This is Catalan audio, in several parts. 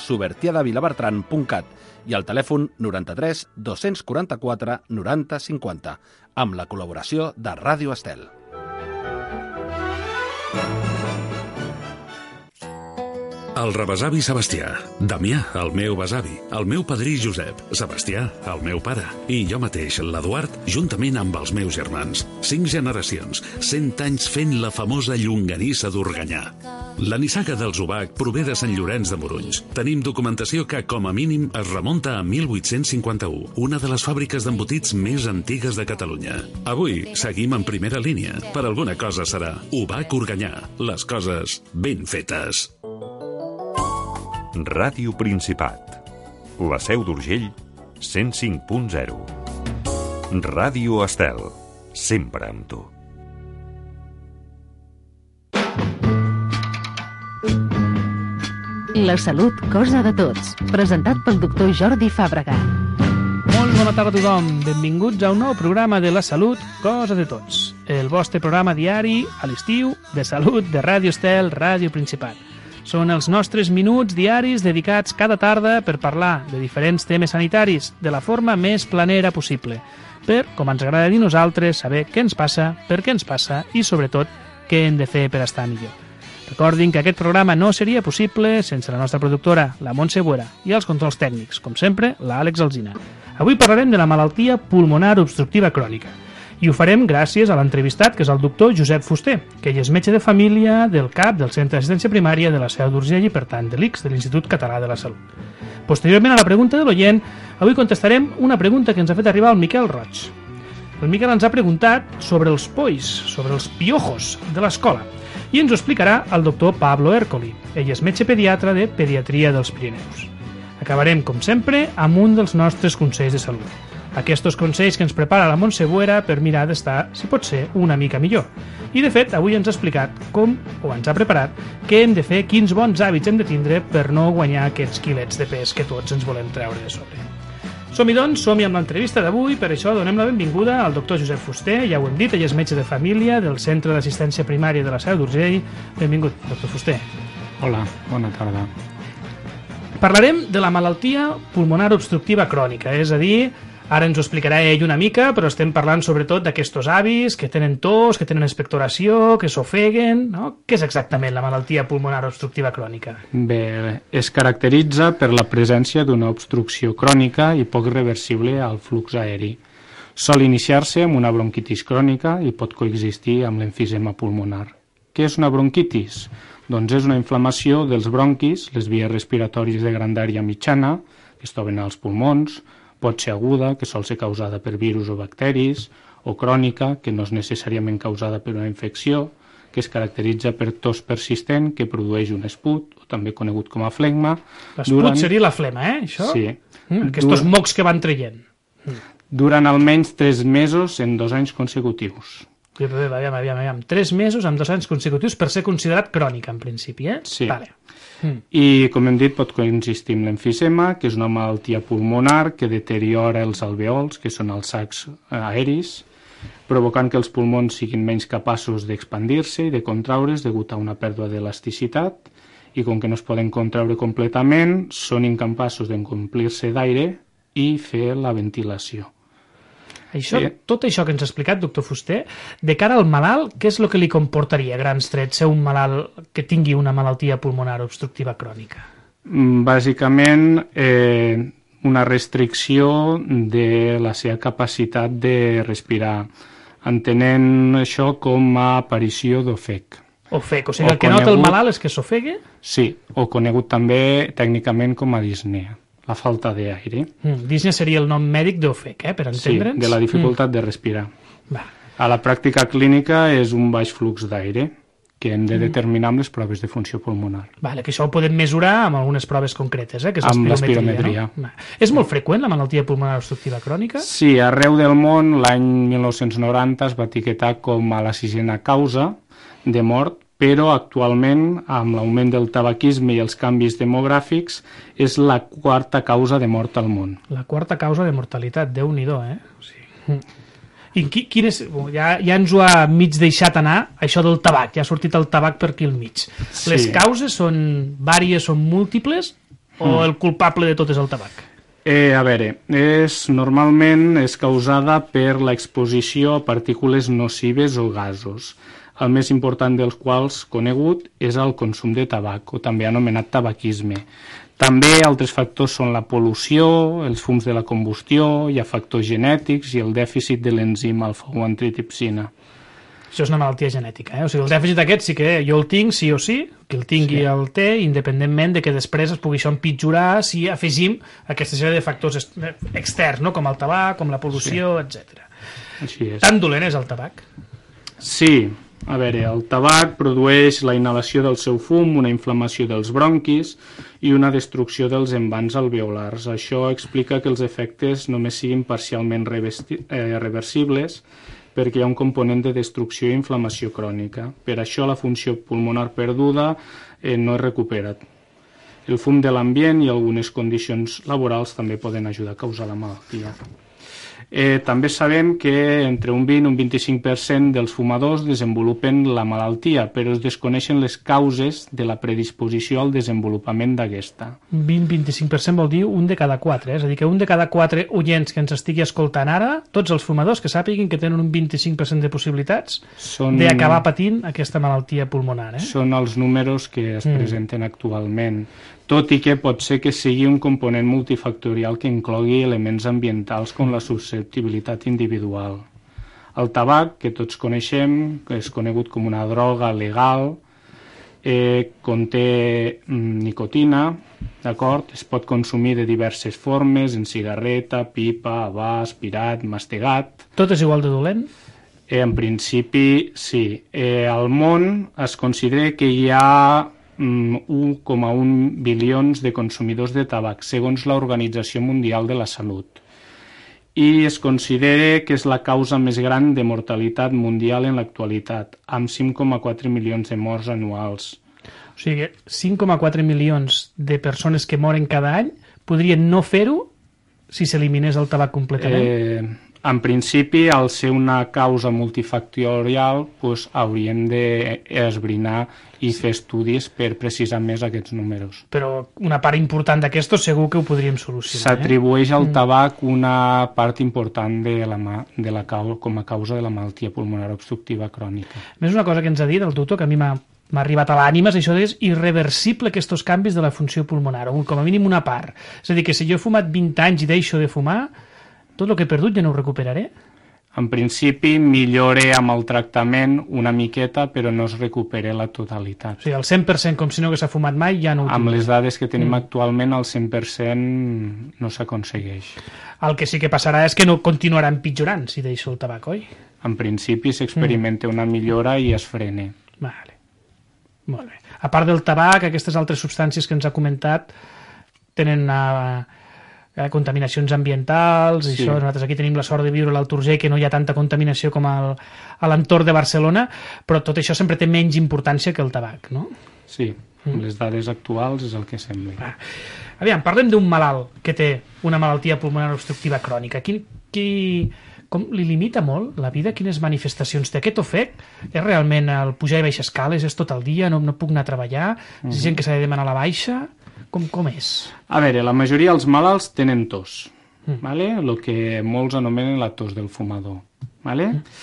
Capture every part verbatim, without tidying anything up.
subertiadavilabertran punt cat i al telèfon noranta-tres dos-cents quaranta-quatre noranta cinquanta, amb la col·laboració de Ràdio Estel. El rebesavi Sebastià, Damià, el meu besavi, el meu padrí Josep, Sebastià, el meu pare, i jo mateix, l'Eduard, juntament amb els meus germans. Cinc generacions, cent anys fent la famosa llonganissa d'Organyà. La nissaga del Zubac prové de Sant Llorenç de Morunys. Tenim documentació que, com a mínim, es remunta a mil vuit-cents cinquanta-u, una de les fàbriques d'embotits més antigues de Catalunya. Avui seguim en primera línia. Per alguna cosa serà Ubac Organyà. Les coses ben fetes. Ràdio Principat. La Seu d'Urgell, cent cinc punt zero. Ràdio Estel. Sempre amb tu. La salut, cosa de tots. Presentat pel doctor Jordi Fàbrega. Molt bona tarda a tothom. Benvinguts a un nou programa de La salut, cosa de tots. El vostre programa diari, a l'estiu, de salut de Ràdio Estel, Ràdio Principat. Són els nostres minuts diaris dedicats cada tarda per parlar de diferents temes sanitaris de la forma més planera possible, per, com ens agrada dir nosaltres, saber què ens passa, per què ens passa i, sobretot, què hem de fer per estar millor. Recordin que aquest programa no seria possible sense la nostra productora, la Montse Buera, i els controls tècnics, com sempre, l'Àlex Alsina. Avui parlarem de la malaltia pulmonar obstructiva crònica. I ho farem gràcies a l'entrevistat, que és el doctor Josep Fuster, que ell és metge de família del C A P del Centre d'Assistència Primària de la Seu d'Urgell i, per tant, de l'I C S, de l'Institut Català de la Salut. Posteriorment a la pregunta de l'oient, avui contestarem una pregunta que ens ha fet arribar el Miquel Roig. El Miquel ens ha preguntat sobre els polls, sobre els piojos de l'escola, i ens ho explicarà el doctor Pablo Ercoli. Ell és metge pediatre de Pediatria dels Pirineus. Acabarem, com sempre, amb un dels nostres consells de salut. Aquests consells que ens prepara la Montse Buera per mirar d'estar, si pot ser, una mica millor. I, de fet, avui ens ha explicat com, o ens ha preparat, què hem de fer, quins bons hàbits hem de tindre per no guanyar aquests quilets de pes que tots ens volem treure de sobre. Som-hi, doncs, som-hi amb l'entrevista d'avui, per això donem la benvinguda al doctor Josep Fuster, ja ho hem dit, ell és metge de família del Centre d'Assistència Primària de la Seu d'Urgell. Benvingut, doctor Fuster. Hola, bona tarda. Parlarem de la malaltia pulmonar obstructiva crònica, és a dir, ara ens ho explicarà ell una mica, però estem parlant sobretot d'aquests avis que tenen tos, que tenen expectoració, que s'ofeguen, no? Què és exactament la malaltia pulmonar obstructiva crònica? Bé, es caracteritza per la presència d'una obstrucció crònica i poc reversible al flux aeri. Sol iniciar-se amb una bronquitis crònica i pot coexistir amb l'emfisema pulmonar. Què és una bronquitis? Doncs és una inflamació dels bronquis, les vies respiratòries de grandària mitjana, que es troben als pulmons. Pot ser aguda, que sol ser causada per virus o bacteris, o crònica, que no és necessàriament causada per una infecció, que es caracteritza per tos persistent que produeix un esput, o també conegut com a flegma. L'esput durant... seria la flema, eh, això? Sí. Mm, aquests Dur... mocs que van traient. Mm. Durant almenys tres mesos en dos anys consecutius. Aviam, aviam, aviam. Tres mesos en dos anys consecutius per ser considerat crònica, en principi, eh? Sí. Vale. Mm. I, com hem dit, pot coexistir amb l'emfisema, que és una malaltia pulmonar que deteriora els alveols, que són els sacs aeris, provocant que els pulmons siguin menys capaços d'expandir-se i de contraure's degut a una pèrdua d'elasticitat, i com que no es poden contraure completament, són incapaços d'omplir-se d'aire i fer la ventilació. Això, sí. Tot això que ens ha explicat, doctor Fuster, de cara al malalt, què és el que li comportaria, a grans trets, ser un malalt que tingui una malaltia pulmonar obstructiva crònica? Bàsicament, eh, una restricció de la seva capacitat de respirar, entenent això com a aparició d'ofec. Ofec, o sigui, el que nota el malalt és que s'ofegue? Sí, o conegut també tècnicament com a disnea. La falta d'aire. Mm, Disnea seria el nom mèdic d'ofec, eh, per entendre'ns? Sí, de la dificultat mm. de respirar. Va. A la pràctica clínica és un baix flux d'aire que hem de determinar amb les proves de funció pulmonar. Vale, que això ho podem mesurar amb algunes proves concretes, eh, que és amb l'espirometria. No? És molt freqüent la malaltia pulmonar obstructiva crònica? Sí, arreu del món l'any mil nou-cents noranta es va etiquetar com a la sisena causa de mort, però actualment, amb l'augment del tabaquisme i els canvis demogràfics, és la quarta causa de mort al món. La quarta causa de mortalitat, Déu-n'hi-do, eh? Sí. I qui, quin és, ja, ja ens ho ha mig deixat anar, això del tabac, ja ha sortit el tabac per aquí al mig. Sí. Les causes són vàries, són múltiples? o mm. el culpable de tot és el tabac? Eh, a veure, és, normalment és causada per l'exposició a partícules nocives o gasos, el més important dels quals conegut és el consum de tabac, o també anomenat tabaquisme. També altres factors són la pol·lució, els fums de la combustió, hi ha factors genètics i el dèficit de l'enzim alfa-guanidipsina. Això és una malaltia genètica, eh? O sigui, el dèficit aquest sí que jo el tinc sí o sí, que el tingui sí. el té, independentment de que després es pugui això empitjorar si afegim aquesta sèrie de factors externs, no? Com el tabac, com la pol·lució, sí. etcètera. Així és. Tan dolent és el tabac? Sí. A veure, el tabac produeix la inhalació del seu fum, una inflamació dels bronquis i una destrucció dels envans alveolars. Això explica que els efectes només siguin parcialment eh, reversibles perquè hi ha un component de destrucció i inflamació crònica. Per això la funció pulmonar perduda eh, no es recupera. El fum de l'ambient i algunes condicions laborals també poden ajudar a causar la malaltia. Eh, també sabem que entre un vint i un vint-i-cinc per cent dels fumadors desenvolupen la malaltia, però es desconeixen les causes de la predisposició al desenvolupament d'aquesta. vint a vint-i-cinc per cent vol dir un de cada quatre, eh? És a dir, que un de cada quatre oients que ens estigui escoltant ara, tots els fumadors que sàpiguin que tenen un vint-i-cinc per cent de possibilitats Són... d'acabar patint aquesta malaltia pulmonar. Eh? Són els números que es mm. presenten actualment. Tot i que pot ser que sigui un component multifactorial que inclogui elements ambientals com la susceptibilitat individual. El tabac, que tots coneixem, que és conegut com una droga legal, eh, conté mm, nicotina, d'acord? Es pot consumir de diverses formes, en cigarreta, pipa, havà, aspirat, mastegat. Tot és igual de dolent? Eh, en principi, sí. Eh, al món es considera que hi ha un coma un bilions de consumidors de tabac, segons l'Organització Mundial de la Salut. I es considera que és la causa més gran de mortalitat mundial en l'actualitat, amb cinc coma quatre milions de morts anuals. O sigui, cinc coma quatre milions de persones que moren cada any podrien no fer-ho si s'eliminés el tabac completament? Eh... En principi, al ser una causa multifactorial, doncs, hauríem d'esbrinar i fer estudis per precisar més aquests números. Però una part important d'aquesto segur que ho podríem solucionar. S'atribueix eh? al tabac una part important de la, de la causa, com a causa de la malaltia pulmonar obstructiva crònica. Més una cosa que ens ha dit el doctor, que a mi m'ha m'ha arribat a l'ànima, és això és irreversible aquests canvis de la funció pulmonar, o com a mínim una part. És a dir, que si jo he fumat vint anys i deixo de fumar, tot el que he perdut ja no ho recuperaré? En principi millore amb el tractament una miqueta, però no es recupera la totalitat. O sigui, el cent per cent com si no hagués fumat mai ja no ho Amb tinc. les dades que tenim mm. actualment, el cent per cent no s'aconsegueix. El que sí que passarà és que no continuarà empitjorant si deixo el tabac, oi? En principi s'experimenta mm. una millora i es frena. Vale. Molt bé. A part del tabac, aquestes altres substàncies que ens ha comentat tenen una... Eh, contaminacions ambientals, i sí. Això, nosaltres aquí tenim la sort de viure a l'Alt Urgell, que no hi ha tanta contaminació com al, a l'entorn de Barcelona, però tot això sempre té menys importància que el tabac, no? Sí, mm. les dades actuals és el que sembla. Ah. Aviam, parlem d'un malalt que té una malaltia pulmonar obstructiva crònica. Qui, qui, com li limita molt la vida? Quines manifestacions té? Aquest ofec és realment el pujar i baixar escales? És tot el dia? No, no puc anar a treballar? Mm. És gent que s'ha de demanar la baixa? Com, com és? A veure, la majoria dels malalts tenen tos, mm. vale? El que molts anomenen la tos del fumador. Vale? Mm.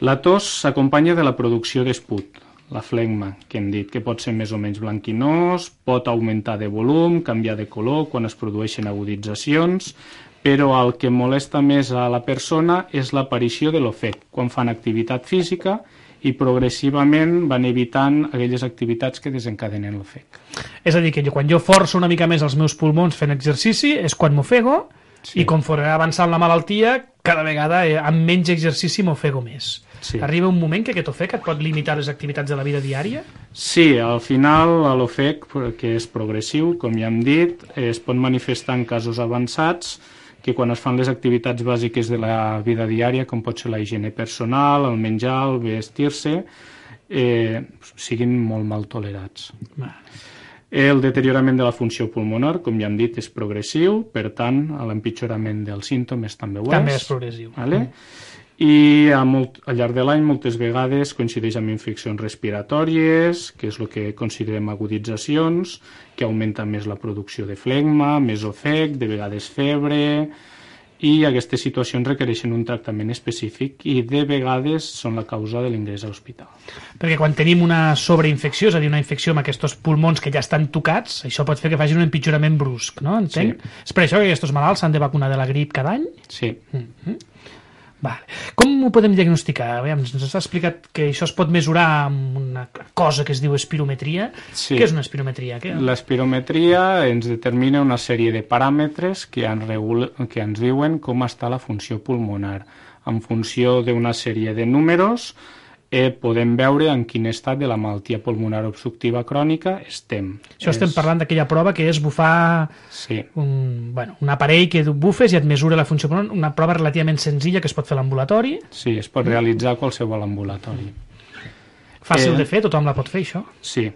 La tos s'acompanya de la producció d'esput, la flegma, que hem dit, que pot ser més o menys blanquinós, pot augmentar de volum, canviar de color quan es produeixen aguditzacions, però el que molesta més a la persona és l'aparició de l'ofec, quan fan activitat física i progressivament van evitant aquelles activitats que desencadenen l'ofec. És a dir, que jo, quan jo forço una mica més els meus pulmons fent exercici és quan m'ofego, sí. I conforme va avançant la malaltia, cada vegada eh, amb menys exercici m'ofego més. Sí. Arriba un moment que aquest ofec et pot limitar les activitats de la vida diària? Sí, al final l'ofec, que és progressiu, com ja hem dit, es pot manifestar en casos avançats, que quan es fan les activitats bàsiques de la vida diària, com pot ser la higiene personal, el menjar, el vestir-se, eh, siguin molt mal tolerats. El deteriorament de la funció pulmonar, com ja hem dit, és progressiu, per tant, l'empitjorament dels símptomes també ho és. També és progressiu. Vale? I a molt, al llarg de l'any moltes vegades coincideix amb infeccions respiratòries, que és el que considerem aguditzacions, que augmenta més la producció de flegma, més ofec, de vegades febre, i aquestes situacions requereixen un tractament específic i de vegades són la causa de l'ingrés a l'hospital. Perquè quan tenim una sobreinfecció, és a dir, una infecció amb aquests pulmons que ja estan tocats, això pot fer que facin un empitjorament brusc, no? Entenc? Sí. És per això que aquests malalts s'han de vacunar de la grip cada any? Sí. Mm-hmm. Vale. Com ho podem diagnosticar? Aviam, ens has explicat que això es pot mesurar amb una cosa que es diu espirometria. Sí. Què és una espirometria? Què? L'espirometria ens determina una sèrie de paràmetres que, en regula, que ens diuen com està la funció pulmonar. En funció d'una sèrie de números eh, podem veure en quin estat de la malaltia pulmonar obstructiva crònica estem. Això és... estem parlant d'aquella prova que és bufar sí. un, bueno, un aparell que bufes i et mesura la funció pulmonar, una prova relativament senzilla que es pot fer a l'ambulatori. Sí, es pot realitzar a qualsevol ambulatori. Fàcil eh, de fer, tothom la pot fer, això? Sí,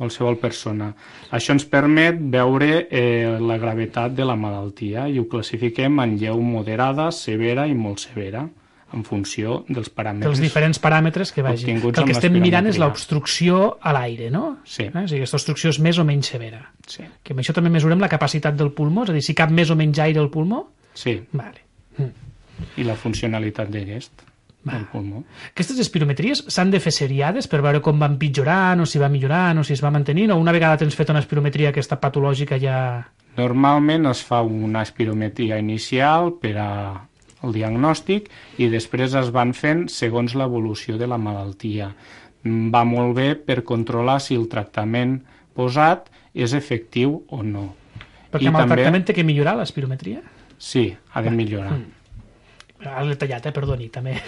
qualsevol persona. Això ens permet veure eh, la gravetat de la malaltia i ho classifiquem en lleu, moderada, severa i molt severa, en funció dels paràmetres. Dels diferents paràmetres que vagin. Que el que estem mirant és l'obstrucció a l'aire, no? Sí. Eh? O sigui, aquesta obstrucció és més o menys severa. Sí. Que amb això també mesurem la capacitat del pulmó, és a dir, si cap més o menys aire al pulmó? Sí. Vale. Mm. I la funcionalitat d'aquest, del pulmó. Aquestes espirometries s'han de fer seriades per veure com va empitjorant, o si va millorant, o si es va mantenint, o una vegada tens fet una espirometria aquesta patològica ja... Normalment es fa una espirometria inicial per a el diagnòstic i després es van fent segons l'evolució de la malaltia. Va molt bé per controlar si el tractament posat és efectiu o no. Perquè I amb també... el tractament té que millorar l'espirometria? Sí, ha de millorar. Mm. Ara l'he tallat, eh? Perdoni, també.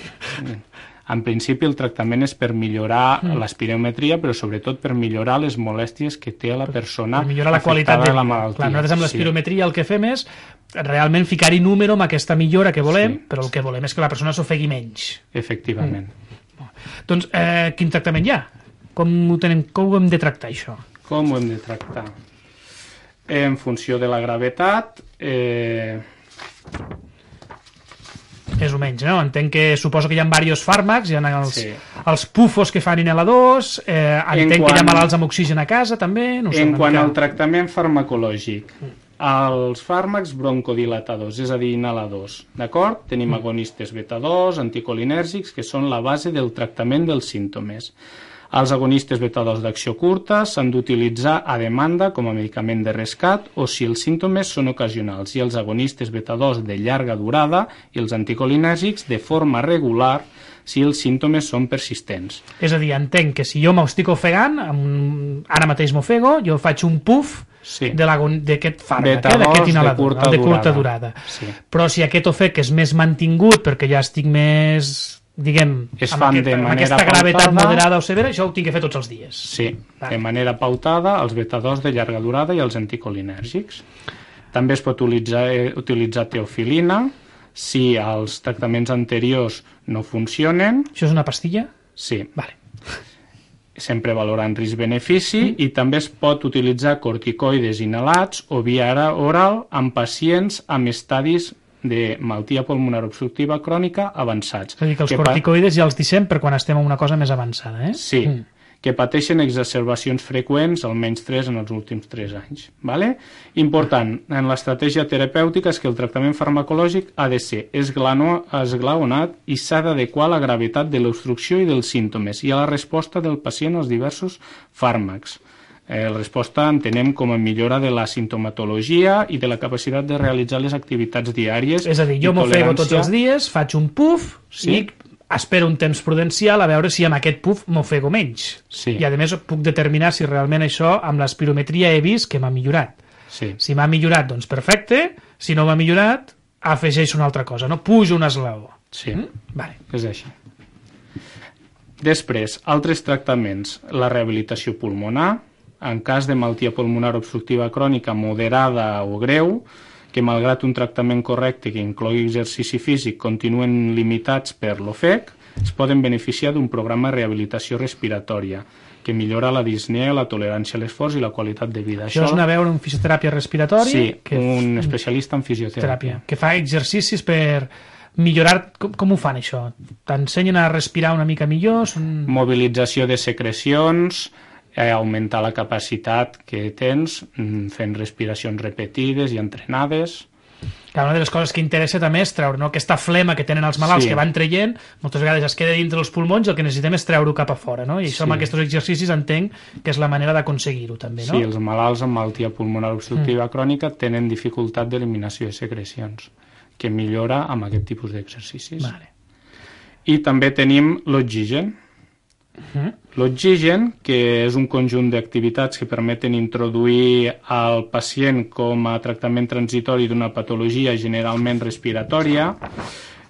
En principi el tractament és per millorar mm. l'espirometria, però sobretot per millorar les molèsties que té la persona per millorar la qualitat de la malaltia. Clar, nosaltres amb l'espirometria sí. el que fem és realment ficar-hi número amb aquesta millora que volem, sí. però el que volem és que la persona s'ofegui menys. Efectivament. Mm. Doncs, eh, quin tractament hi ha? Com ho, tenem, com ho hem de tractar, això? Com ho hem de tractar? En funció de la gravetat... Eh... Més o menys, no? Entenc que suposo que hi ha diversos fàrmacs, hi ha els, sí. els pufos que fan inhaladors, dos, eh, entenc quan, que hi ha malalts amb oxigen a casa, també... No sé, en quant mica... al tractament farmacològic, mm. els fàrmacs broncodilatadors, és a dir, inhaladors, d'acord? Tenim mm. agonistes beta dos, anticolinèrgics, que són la base del tractament dels símptomes. Els agonistes beta dos d'acció curta s'han d'utilitzar a demanda com a medicament de rescat o si els símptomes són ocasionals, i els agonistes beta dos de llarga durada i els anticolinèrgics de forma regular si els símptomes són persistents. És a dir, entenc que si jo m'estic ofegant, amb... ara mateix m'ofego, jo faig un puf sí. d'aquest fàrmac, eh, d'aquest inhalador, de curta, de curta durada. durada. Sí. Però si aquest ofec és més mantingut perquè ja estic més... diguem, es amb, aquest, amb aquesta gravetat pautada, moderada o severa, això ho tinc que fer tots els dies. Sí, ah. de manera pautada, els beta dos de llarga durada i els anticolinèrgics. També es pot utilitzar, eh, utilitzar teofilina si els tractaments anteriors no funcionen. Això és una pastilla? Sí. Vale. Sempre valorant risc-benefici mm. i també es pot utilitzar corticoides inhalats o via oral en pacients amb estadis de malaltia pulmonar obstructiva crònica avançats. És a dir, que els que corticoides ja els deixem per quan estem en una cosa més avançada, eh? Sí, mm. que pateixen exacerbacions freqüents, almenys tres en els últims tres anys. Vale? Important, en l'estratègia terapèutica és que el tractament farmacològic ha de ser esglaonat i s'ha d'adequar a la gravetat de l'obstrucció i dels símptomes i a la resposta del pacient als diversos fàrmacs. Eh, la resposta entenem com a millora de la simptomatologia i de la capacitat de realitzar les activitats diàries. És a dir, jo m'ofego tots els dies, faig un puf, sí. i espero un temps prudencial a veure si amb aquest puf m'ofego menys. Sí. I a més puc determinar si realment això amb l'espirometria he vist que m'ha millorat. Sí. Si m'ha millorat, doncs perfecte. Si no m'ha millorat, afegeixo una altra cosa, no? Pujo un esglaó. Sí, mm? vale. És així. Després, altres tractaments. La rehabilitació pulmonar, en cas de malaltia pulmonar obstructiva crònica moderada o greu, que malgrat un tractament correcte que inclogui exercici físic continuen limitats per l'ofec, es poden beneficiar d'un programa de rehabilitació respiratòria que millora la disnea, la tolerància a l'esforç i la qualitat de vida. Això, Això és anar a veure un fisioteràpia respiratori? Sí, que un especialista en fisioteràpia. Que fa exercicis per millorar... Com, com ho fan, això? T'ensenyen a respirar una mica millor? Són... Mobilització de secrecions, eh, augmentar la capacitat que tens, fent respiracions repetides i entrenades. Clar, una de les coses que interessa també és treure, no? Aquesta flema que tenen els malalts, sí, que van traient, moltes vegades es queda dintre els pulmons i el que necessitem és treure-ho cap a fora, no? I això, sí, amb aquests exercicis entenc que és la manera d'aconseguir-ho també, no? Sí, els malalts amb malaltia pulmonar obstructiva mm. crònica tenen dificultat d'eliminació de secrecions, que millora amb aquest tipus d'exercicis. Vale. I també tenim l'oxigen. Uh-huh. L'oxigen, que és un conjunt d'activitats que permeten introduir al pacient com a tractament transitori d'una patologia generalment respiratòria.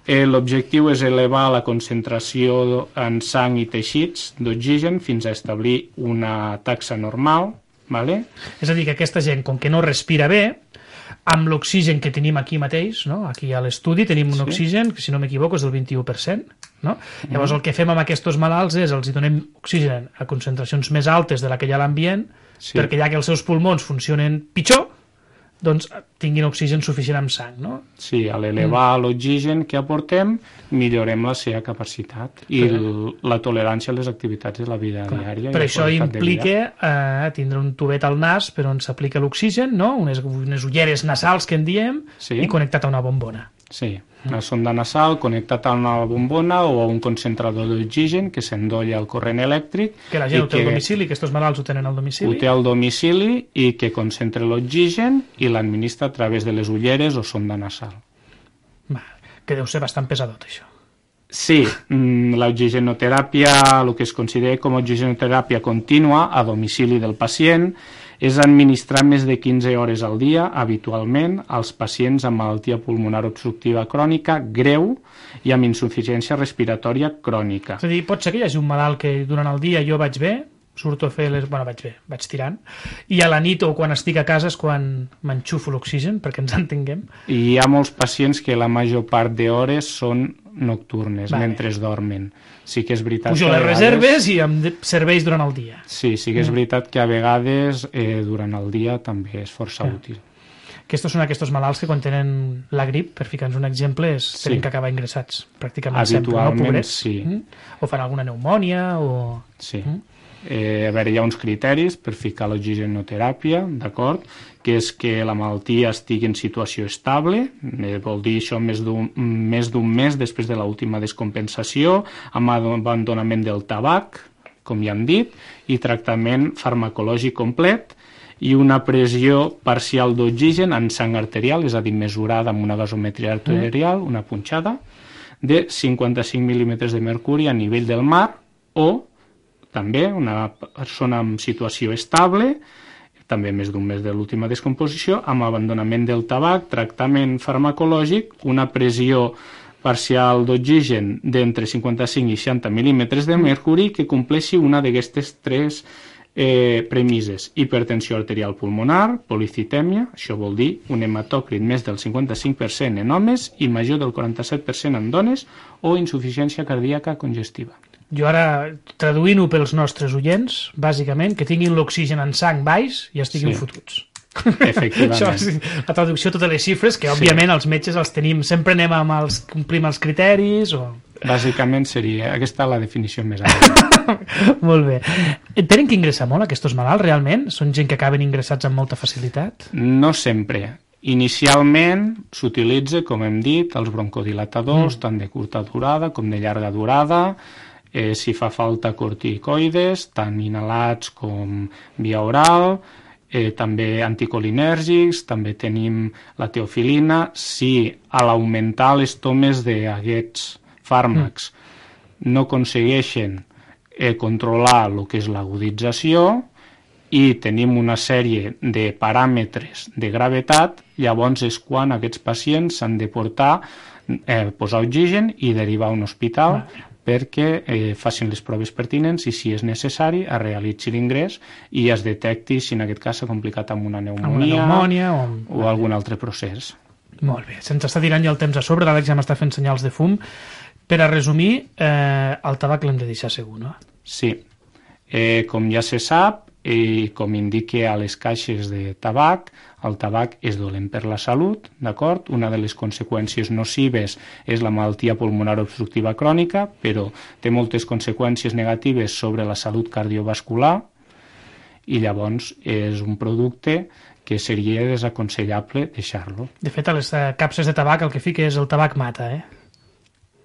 Eh, l'objectiu és elevar la concentració en sang i teixits d'oxigen fins a establir una taxa normal, vale? És a dir, que aquesta gent, com que no respira bé, amb l'oxigen que tenim aquí mateix, no? Aquí a l'estudi tenim un sí. oxigen, que si no m'equivoco és del vint-i-u per cent, no? Mm. Llavors el que fem amb aquests malalts és els hi donem oxigen a concentracions més altes de la que hi ha a l'ambient, sí. perquè ja que els seus pulmons funcionen pitjor, doncs tinguin oxigen suficient amb sang, no? Sí, a l'elevar mm. l'oxigen que aportem, millorem la seva capacitat i l- la tolerància a les activitats de la vida Clar. diària. Per això implica eh, tindre un tubet al nas per on s'aplica l'oxigen, no? Unes, unes ulleres nasals que en diem, sí. i connectat a una bombona. Sí, una sonda nasal connectat a una bombona o a un concentrador d'oxigen que s'endolla al corrent elèctric. Que la gent ho té al domicili, que aquests malalts ho tenen al domicili. Ho té al domicili i que concentra l'oxigen i l'administra a través de les ulleres o sonda nasal. Va, que deu ser bastant pesadot, això. Sí, l'oxigenoteràpia, el que es considera com a oxigenoteràpia contínua a domicili del pacient, és administrar més de quinze hores al dia, habitualment, als pacients amb malaltia pulmonar obstructiva crònica greu i amb insuficiència respiratòria crònica. És a dir, pot ser que hi hagi un malalt que durant el dia jo vaig bé, surto a fer les... Bueno, vaig bé, vaig tirant, i a la nit o quan estic a casa és quan m'enxufo l'oxigen, perquè ens entenguem. I hi ha molts pacients que la major part d'hores són nocturnes, vale. mentre es dormen. Sí que és veritat Pujo que a les vegades... reserves i em serveix durant el dia. Sí, sí que és veritat que a vegades eh, durant el dia també és força ja. útil. Aquests són aquests malalts que quan tenen la grip, per ficar-nos un exemple, és Sí. tenen que acabar ingressats pràcticament Habitualment, sempre, no, pobrets? sí. Mm? O fan alguna pneumònia o... Sí. Mm? Eh, a veure, hi ha uns criteris per ficar l'oxigenoteràpia, d'acord? Que és que la malaltia estigui en situació estable, eh, vol dir això més d'un, més d'un mes després de l'última descompensació, amb abandonament del tabac, com ja hem dit, i tractament farmacològic complet, i una pressió parcial d'oxigen en sang arterial, és a dir, mesurada amb una gasometria arterial, una punxada, de cinquanta-cinc mil·límetres de mercuri a nivell del mar, o també una persona en situació estable, també més d'un mes de l'última descomposició, amb abandonament del tabac, tractament farmacològic, una pressió parcial d'oxigen d'entre cinquanta-cinc i seixanta mil·límetres de mercuri que compleixi una d'aquestes tres eh, premisses: hipertensió arterial pulmonar, policitèmia, això vol dir un hematòcrit més del cinquanta-cinc per cent en homes i major del quaranta-set per cent en dones, o insuficiència cardíaca congestiva. Jo ara, traduint-ho pels nostres oients, bàsicament, que tinguin l'oxigen en sang baix i estiguin Sí. fotuts. Efectivament. Això és la traducció de totes les xifres, que òbviament els metges els tenim, sempre anem amb els, complim els criteris o... Bàsicament seria aquesta la definició més àmplia. Molt bé. Tenen que ingressar molt aquests malalts, realment? Són gent que acaben ingressats amb molta facilitat? No sempre. Inicialment s'utilitza, com hem dit, els broncodilatadors, mm. tant de curta durada com de llarga durada, eh, si fa falta corticoides, tant inhalats com via oral, eh, també anticolinèrgics, també tenim la teofilina. Si a l'augmentar les tomes d'aquests fàrmacs mm. no aconsegueixen eh, controlar el que és l'agudització i tenim una sèrie de paràmetres de gravetat, llavors és quan aquests pacients s'han de portar, eh, posar oxigen i derivar a un hospital mm. perquè eh, facin les proves pertinents i, si és necessari, es realitzi l'ingrés i es detecti si en aquest cas s'ha complicat amb una pneumònia, amb una pneumònia o... o algun altre procés. Molt bé, se'ns està tirant ja el temps a sobre, l'Àlex ja m'està fent senyals de fum. Per a resumir, eh, el tabac l'hem de deixar segur, no? Sí. Eh, com ja se sap, i com indica a les caixes de tabac, el tabac és dolent per la salut, d'acord? Una de les conseqüències nocives és la malaltia pulmonar obstructiva crònica, però té moltes conseqüències negatives sobre la salut cardiovascular i llavors és un producte que seria desaconsellable deixar-lo. De fet, a les capses de tabac el que fica és el tabac mata, eh?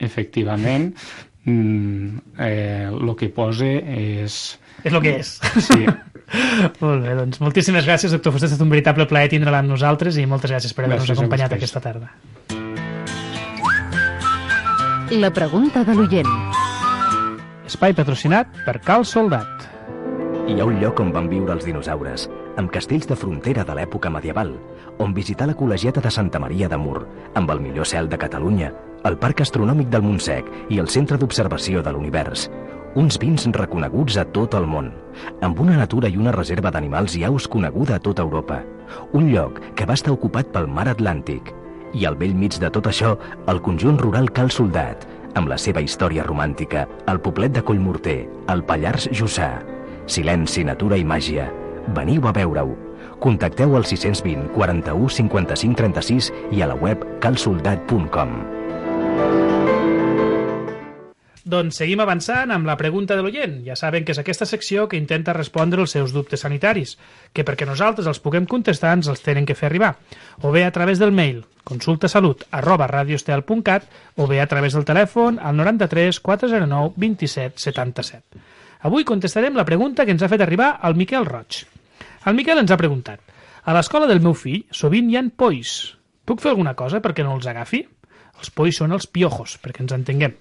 Efectivament, eh, el que posa és... És el que és. Sí. Molt bé, doncs moltíssimes gràcies, doctor Fuster. Ha estat un veritable plaer tindre-la amb nosaltres i moltes gràcies per haver-nos acompanyat aquesta tarda. La pregunta de l'oient. Espai patrocinat per Cal Soldat. Hi ha un lloc on van viure els dinosaures, amb castells de frontera de l'època medieval, on visitar la col·legiata de Santa Maria de Mur, amb el millor cel de Catalunya, el Parc Astronòmic del Montsec i el Centre d'Observació de l'Univers. Uns vins reconeguts a tot el món, amb una natura i una reserva d'animals i aus coneguda a tota Europa. Un lloc que va estar ocupat pel mar Atlàntic. I al bell mig de tot això, el conjunt rural Cal Soldat, amb la seva història romàntica, el poblet de Collmorter, el Pallars Jussà. Silenci, natura i màgia. Veniu a veure-ho. Contacteu al sis cents vint, quaranta-u, cinquanta-cinc, trenta-sis i a la web cal soldat punt com. Doncs seguim avançant amb la pregunta de l'oient. Ja saben que és aquesta secció que intenta respondre els seus dubtes sanitaris, que perquè nosaltres els puguem contestar ens els tenen que fer arribar, o bé a través del mail consultasalut arroba radioestel punt cat o bé a través del telèfon al noranta-tres quatre zero nou vint-i-set setanta-set. Avui contestarem la pregunta que ens ha fet arribar el Miquel Roig. El Miquel ens ha preguntat: a l'escola del meu fill sovint hi ha polls. Puc fer alguna cosa perquè no els agafi? Els polls són els piojos, perquè ens entenguem.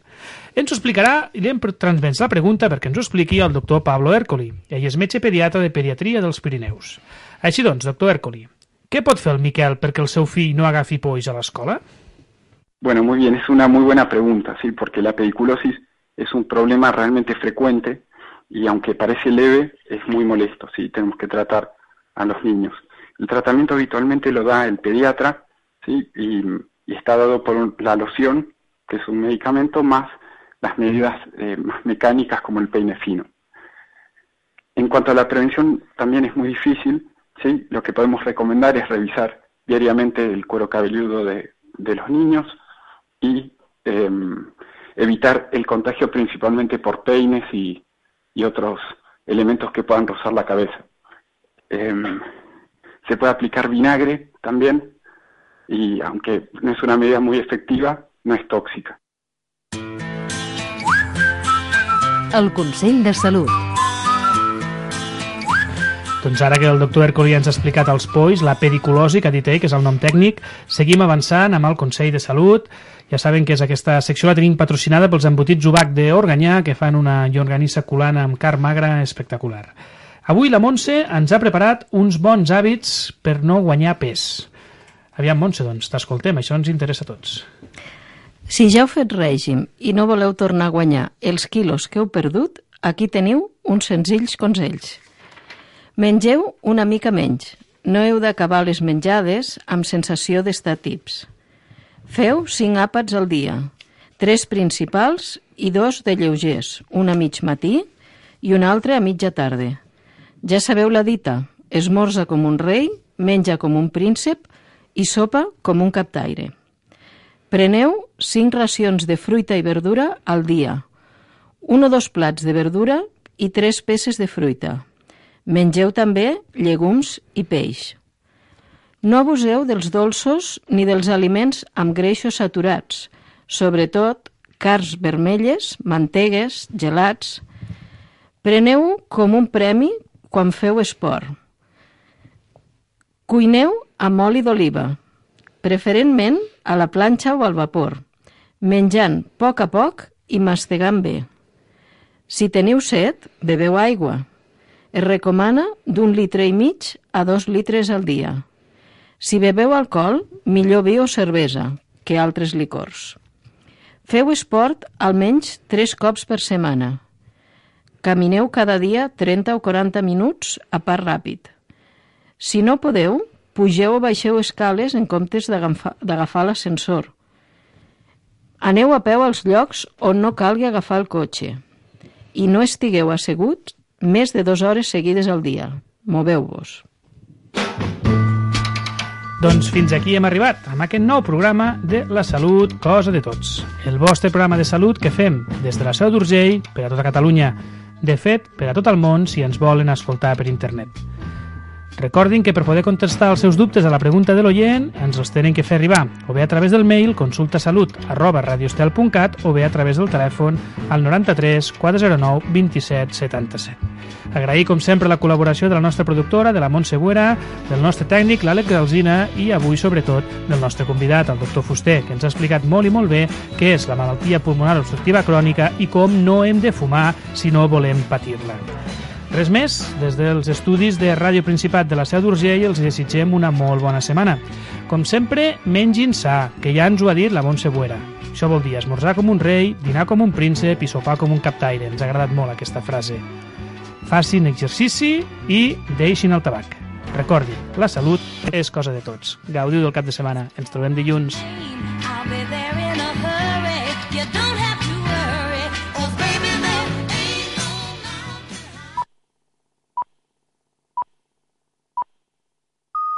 Ens ho explicarà i li hem transmès la pregunta perquè ens ho expliqui el doctor Pablo Ercoli. Ell és metge pediatra de pediatria dels Pirineus. Així doncs, doctor Ercoli, què pot fer el Miquel perquè el seu fill no agafi polls a l'escola? Bueno, muy bien, es una muy buena pregunta, sí, porque la pediculosis es un problema realmente frecuente y aunque parece leve, es muy molesto, sí, tenemos que tratar a los niños. El tratamiento habitualmente lo da el pediatra, sí, y, y está dado por un, la loción, que es un medicamento, más las medidas eh, más mecánicas como el peine fino. En cuanto a la prevención, también es muy difícil, sí, lo que podemos recomendar es revisar diariamente el cuero cabelludo de, de los niños y eh, evitar el contagio principalmente por peines y y otros elementos que puedan rozar la cabeza. Eh, se puede aplicar vinagre también, y aunque no es una medida muy efectiva, no es tóxica. El Consell de Salut. Doncs ara que el doctor Ercoli ens ha explicat els polls, la pediculosi, que ha dit ell, que és el nom tècnic, seguim avançant amb el Consell de Salut. Ja saben que és aquesta secció la tenim patrocinada pels embotits Ubac d'Organyà, que fan una llonganissa culana amb carn magra espectacular. Avui la Montse ens ha preparat uns bons hàbits per no guanyar pes. Aviam, Montse, doncs, t'escoltem, això ens interessa a tots. Si ja heu fet règim i no voleu tornar a guanyar els quilos que heu perdut, aquí teniu uns senzills consells. Mengeu una mica menys. No heu d'acabar les menjades amb sensació d'estar tips. Feu cinc àpats al dia, tres principals i dos de lleugers, un a mig matí i un altre a mitja tarda. Ja sabeu la dita, esmorza com un rei, menja com un príncep i sopa com un captaire. Preneu cinc racions de fruita i verdura al dia, un o dos plats de verdura i tres peces de fruita. Mengeu també llegums i peix. No abuseu dels dolços ni dels aliments amb greixos saturats, sobretot carns vermelles, mantegues, gelats. Preneu com un premi quan feu esport. Cuineu amb oli d'oliva, preferentment a la planxa o al vapor, menjant a poc a poc i mastegant bé. Si teniu set, beveu aigua. Es recomana d'un litre i mig a dos litres al dia. Si beveu alcohol, millor vi o cervesa que altres licors. Feu esport almenys tres cops per setmana. Camineu cada dia trenta o quaranta minuts a pas ràpid. Si no podeu, pugeu o baixeu escales en comptes d'agafar l'ascensor. Aneu a peu als llocs on no calgui agafar el cotxe. I no estigueu asseguts més de dues hores seguides al dia. Moveu-vos. Doncs fins aquí hem arribat, amb aquest nou programa de La Salut, cosa de tots. El vostre programa de salut que fem des de la Seu d'Urgell per a tota Catalunya. De fet, per a tot el món si ens volen escoltar per internet. Recordin que per poder contestar els seus dubtes a la pregunta de l'oient ens els tenen que fer arribar o bé a través del mail consultasalut arroba radioestel punt cat o bé a través del telèfon al noranta-tres quatre zero nou vint-i-set setanta-set. Agrair, com sempre, la col·laboració de la nostra productora, de la Montse Buera, del nostre tècnic, l'Àlex Alsina, i avui, sobretot, del nostre convidat, el doctor Fuster, que ens ha explicat molt i molt bé què és la malaltia pulmonar obstructiva crònica i com no hem de fumar si no volem patir-la. Res més, des dels estudis de Ràdio Principat de la Seu d'Urgell els desitgem una molt bona setmana. Com sempre, mengin sa, que ja ens ho ha dit la Montse Buera. Això vol dir esmorzar com un rei, dinar com un príncep i sopar com un captaire. Ens ha agradat molt aquesta frase. Facin exercici i deixin el tabac. Recordin, la salut és cosa de tots. Gaudiu del cap de setmana. Ens trobem dilluns.